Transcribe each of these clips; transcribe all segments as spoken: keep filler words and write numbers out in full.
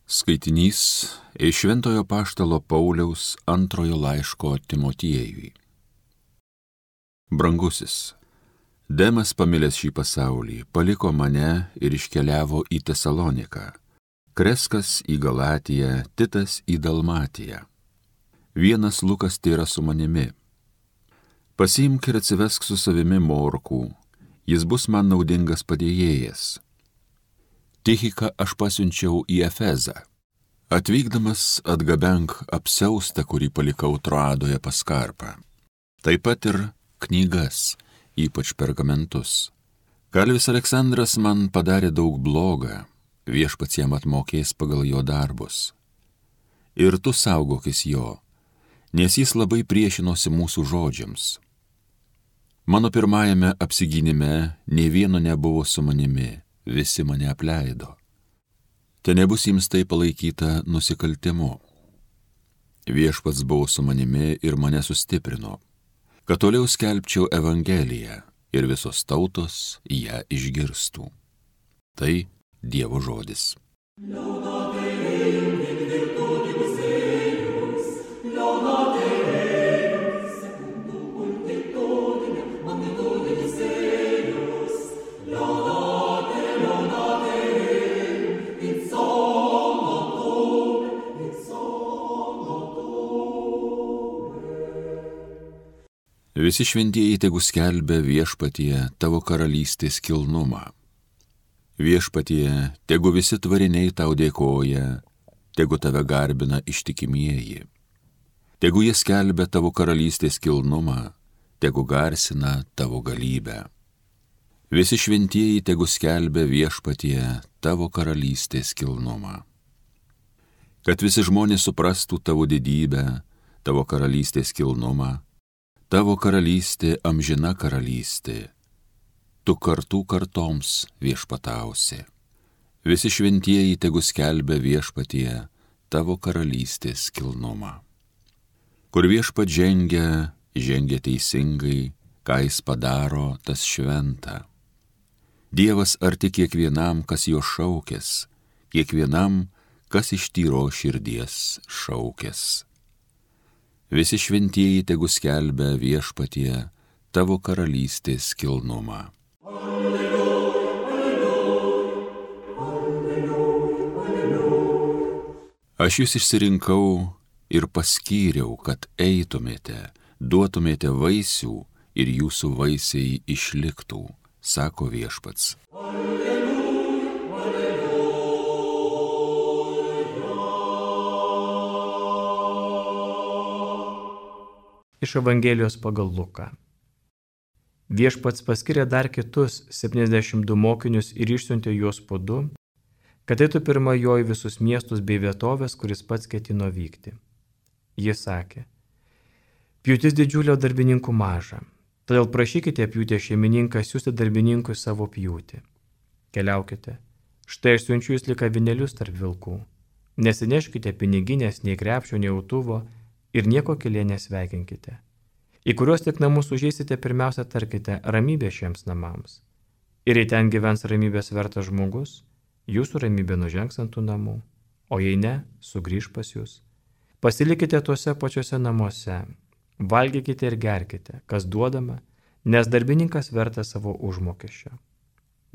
Skaitinys iš Šventojo apaštalo Pauliaus antrojo laiško Timotiejui. Brangusis, Demas, pamilęs šį pasaulį, paliko mane ir iškeliavo į Tesaloniką, Kreskas į Galatiją, Titas į Dalmatiją. Vienas Lukas tėra su manimi. Pasiimk ir atsivesk su savimi Morkų, jis bus man naudingas padėjėjas. Tichiką aš pasiunčiau į Efezą. Atvykdamas atgabenk apsiaustą, kurį palikau Troadoje pas Karpą. Taip pat ir knygas, ypač pergamentus. Kalvis Aleksandras man padarė daug blogą, viešpats jam atmokės pagal jo darbus. Ir tu saugokis jo, nes jis labai priešinosi mūsų žodžiams. Mano pirmajame apsigynime nė vieno nebuvo su manimi, visi mane apleido. Te nebus jums tai palaikyta nusikaltimu. Viešpats buvo su manimi ir mane sustiprino, kad toliau skelbčiau Evangeliją ir visos tautos ją išgirstų. Tai Dievo žodis. Visi šventieji tegu skelbia viešpatie tavo karalystės kilnumą. Viešpatie, tegu visi tvariniai tau dėkoja, tegu tave garbina ištikimieji. Tegu jie skelbia tavo karalystės kilnumą, tegu garsina tavo galybę. Visi šventieji tegu skelbia viešpatie tavo karalystės kilnumą. Kad visi žmonės suprastų tavo didybę, tavo karalystės kilnumą, tavo karalystė amžina karalystė, tu kartų kartoms viešpatausi. Visi šventieji tegu skelbia viešpatie tavo karalystės kilnumą. Kur viešpat žengia, žengia teisingai, ką jis padaro, tas šventa. Dievas arti kiekvienam, kas jo šaukės, kiekvienam, kas iš tyro širdies šaukės. Visi šventieji tegu skelbia viešpatie tavo karalystės kilnumą. Alleluja, alleluja, alleluja, alleluja. Aš jūs išsirinkau ir paskyriau, kad eitumėte, duotumėte vaisių ir jūsų vaisiai išliktų, sako viešpats. Iš Evangelijos pagal Luką. Viešpats paskyrė dar kitus septyniasdešimt du mokinius ir išsiuntė juos po du, kad eitų pirma jo į visus miestus bei vietovės, kuris pats ketino vykti. Jis sakė: pjūtis didžiulio, darbininkų maža, todėl prašykite pjūtės šeimininką siųsti darbininkui savo pjūtį. Keliaukite, štai aš siunčiu jūs lyg avinėlius tarp vilkų. Nesineškite piniginės, nei krepšio, nei autuvo, ir nieko kelyje nesveikinkite. Į kuriuos tik namus užeisite, pirmiausia tarkite ramybė šiems namams. Ir jei ten gyvens ramybės vertas žmogus, jūsų ramybė nužengs ant tų namų, o jei ne, sugrįž pas jūs. Pasilikite tuose pačiuose namuose, valgykite ir gerkite, kas duodama, nes darbininkas vertas savo užmokesčio.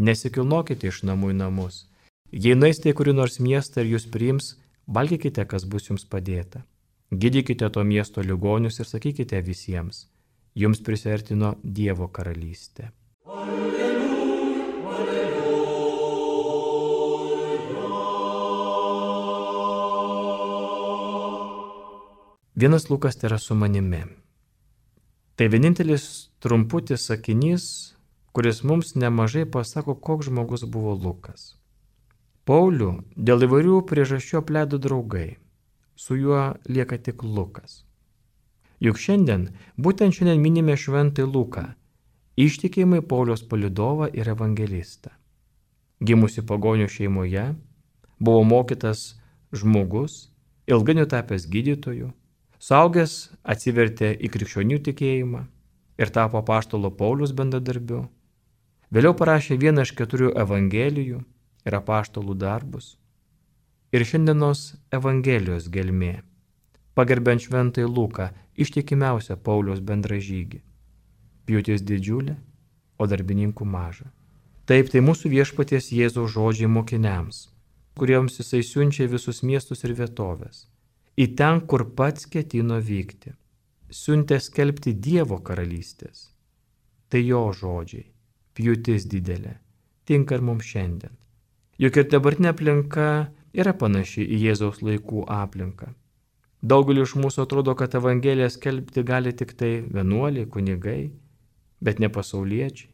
Nesikilnokite iš namų į namus. Jei nueisite į kurį nors miestą ir jūs priims, valgykite, kas bus jums padėta. Gydykite to miesto ligonius ir sakykite visiems: jums prisiartino Dievo karalystė. Alleluja, alleluja. Vienas Lukas tėra su manimi. Tai vienintelis trumputis sakinys, kuris mums nemažai pasako, koks žmogus buvo Lukas. Paulių dėl įvairių priežasčių apleido draugai. Su juo lieka tik Lukas. Juk šiandien, būtent šiandien minime šventąjį Luką, ištikimai Pauliaus palydovą ir evangelistą. Gimusi pagonių šeimoje, buvo mokytas žmogus, ilgainiui tapęs gydytoju, suaugęs atsivertė į krikščionių tikėjimą ir tapo apaštalo Pauliaus bendradarbiu. Vėliau parašė vieną iš keturių evangelijų ir apaštalų darbus. ir šiandienos Evangelijos gelmė, pagerbiant šventąjį Luką, ištikimiausią Pauliaus bendražygį. Pjūtis didžiulė, o darbininkų maža. Taip, tai mūsų viešpaties Jėzaus žodžiai mokiniams, kuriems jisai siunčia visus miestus ir vietovės, į ten, kur pats ketino vykti. Siuntė skelbti Dievo karalystės. Tai jo žodžiai, pjūtis didelė, tinka ir mums šiandien. Juk ir dabartinė aplinka yra panaši į Jėzaus laikų aplinką. Daugeliu iš mūsų atrodo, kad Evangeliją skelbti gali tik tai vienuoliai, kunigai, bet ne pasauliečiai.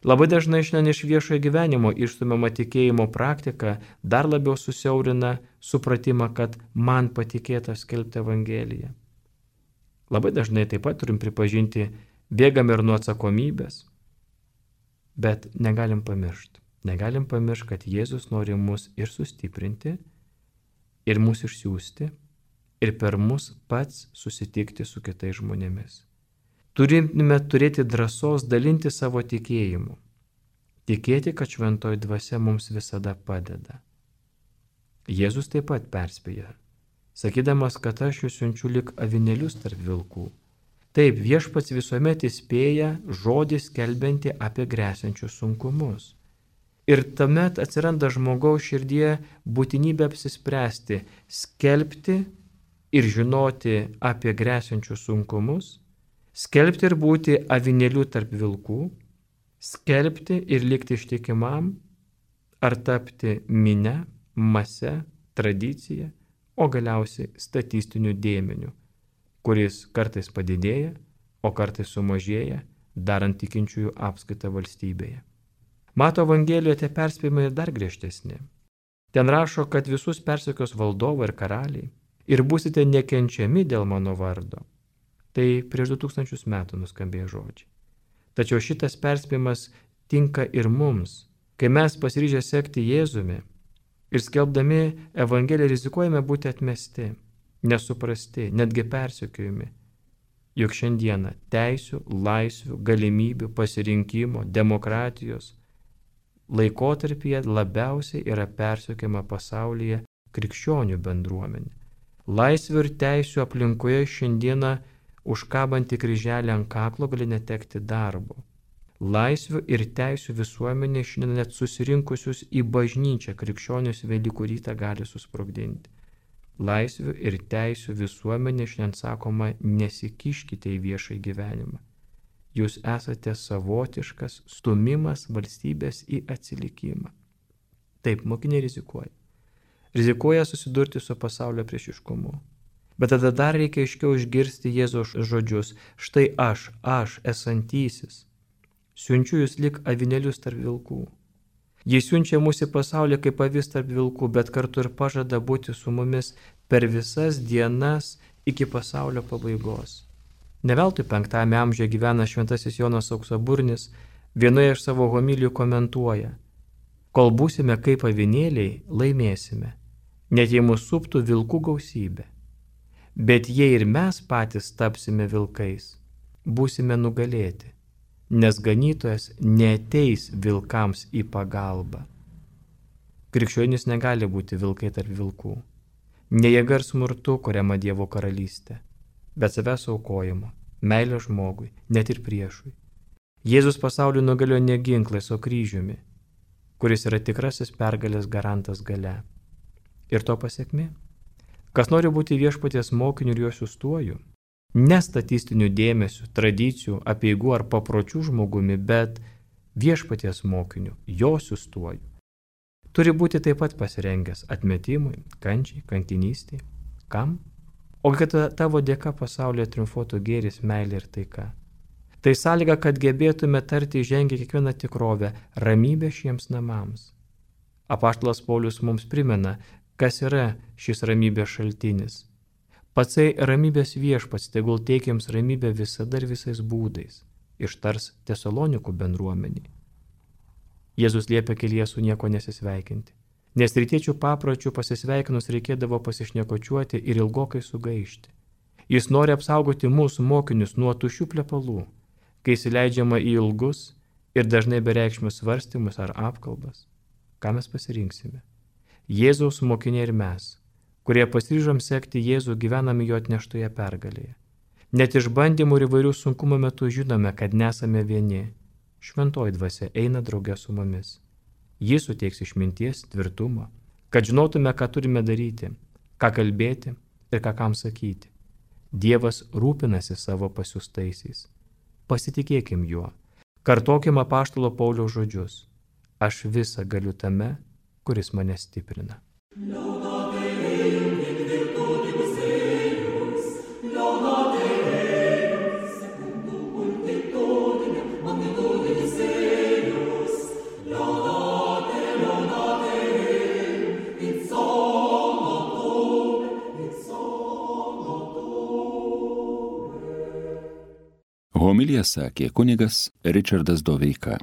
Labai dažnai šiandien iš viešojo gyvenimo išstumiama tikėjimo praktika dar labiau susiaurina supratimą, kad man patikėta skelbti Evangeliją. Labai dažnai taip pat turim pripažinti, bėgam ir nuo atsakomybės, bet negalim pamiršti. Negalim pamiršti, kad Jėzus nori mus ir sustiprinti, ir mus išsiųsti, ir per mus pats susitikti su kitais žmonėmis. Turime turėti drąsos dalinti savo tikėjimu. Tikėti, kad šventoji dvasia mums visada padeda. Jėzus taip pat perspėja, sakydamas, kad aš jūs siunčiu lyg avinėlius tarp vilkų. Taip, viešpats visuomet įspėja žodį skelbianti apie gresiančius sunkumus. Ir tuomet atsiranda žmogaus širdie būtinybė apsispręsti, skelbti ir žinoti apie gresiančius sunkumus, skelbti ir būti avinėliu tarp vilkų, skelbti ir likti ištikimam, ar tapti mine, mase, tradicija, o galiausiai statistiniu dėmeniu, kuris kartais padidėja, o kartais sumažėja, darant tikinčiųjų apskaitą valstybėje. Mato Evangelijoje tie perspėjimai ir dar griežtesni. Ten rašo, kad visus persekios valdovai ir karaliai ir būsite nekenčiami dėl mano vardo. Tai prieš du tūkstančius metų nuskambėjo žodžiai. Tačiau šitas perspėjimas tinka ir mums, kai mes pasiryžę sekti Jėzumi ir skelbdami Evangeliją rizikuojame būti atmesti, nesuprasti, netgi persekiojami. Juk šiandieną teisių, laisvių, galimybių, pasirinkimo, demokratijos laikotarpyje labiausiai yra persekiojama pasaulyje krikščionių bendruomenė. Laisvių ir teisių aplinkoje šiandieną užkabantį kryželį ant kaklo gali netekti darbo. Laisvių ir teisių visuomenė šiandien net susirinkusius į bažnyčią krikščionius Velykų rytą gali susprogdinti. Laisvių ir teisių visuomenė šiandien sakoma, nesikiškite į viešąjį gyvenimą. Jūs esate savotiškas stumimas valstybės į atsilikimą. Taip, mokiniai rizikuoja. Rizikuoja susidurti su pasaulio priešiškumu. Bet tada dar reikia aiškiau išgirsti Jėzaus žodžius. Štai aš, aš esantysis, siunčiu jūs lyg avinėlius tarp vilkų. Jis siunčia mus į pasaulį kaip avis tarp vilkų, bet kartu ir pažada būti su mumis per visas dienas iki pasaulio pabaigos. Ne veltui penktame amžiuje gyvena šventasis Jonas Auksaburnis, vienoje iš savo homilijų komentuoja: kol būsime kaip avinėliai, laimėsime, net jei mūsų suptų vilkų gausybė. Bet jei ir mes patys tapsime vilkais, būsime nugalėti, nes ganytojas neateis vilkams į pagalbą. Krikščionys negali būti vilkai tarp vilkų. Ne jėga ir smurtu kuriama Dievo karalystė, bet savęs aukojimo, meilė žmogui, net ir priešui. Jėzus pasaulį nugalėjo ne ginklais, o kryžiumi, kuris yra tikrasis pergalės garantas gale. Ir to pasiekmė? Kas nori būti viešpaties mokiniu ir jo siųstuoju, ne statistinių dėmesių, tradicijų, apeigų ar papročių žmogumi, bet viešpaties mokiniu, jo siųstuoju, turi būti taip pat pasirengęs atmetimui, kančiai, kankinystei. Kam? O kad tavo dėka pasaulyje triumfuotų gėris, meilė ir taika. Tai sąlyga, kad gebėtume tarti įžengę kiekvieną tikrovę, ramybę šiems namams. Apaštalas Paulius mums primena, kas yra šis ramybės šaltinis. Patsai ramybės viešpats, tegul teikiams ramybę visada ir visais būdais, ištars Tesalonikų bendruomenį. Jėzus liepia kelyje su nieko nesisveikinti, nes rytiečių papročių pasisveikinus reikėdavo pasišnekočiuoti ir ilgokai sugaišti. Jis nori apsaugoti mūsų mokinius nuo tuščių plepalų, kai įsileidžiama į ilgus ir dažnai bereikšmius svarstymus ar apkalbas. Ką mes pasirinksime? Jėzaus mokiniai ir mes, kurie pasiryžom sekti Jėzų, gyvename jo atneštoje pergalėje. Net išbandymų ir įvairių sunkumų metu žinome, kad nesame vieni. Šventoji dvasia eina drauge su mumis. Jis suteiks išminties, tvirtumo, kad žinotume, ką turime daryti, ką kalbėti ir ką kam sakyti. Dievas rūpinasi savo pasiųstaisiais. Pasitikėkim juo. Kartokim apaštalo Pauliaus žodžius. Aš visą galiu tame, kuris mane stiprina. Homiliją sakė kunigas Ričardas Doveika.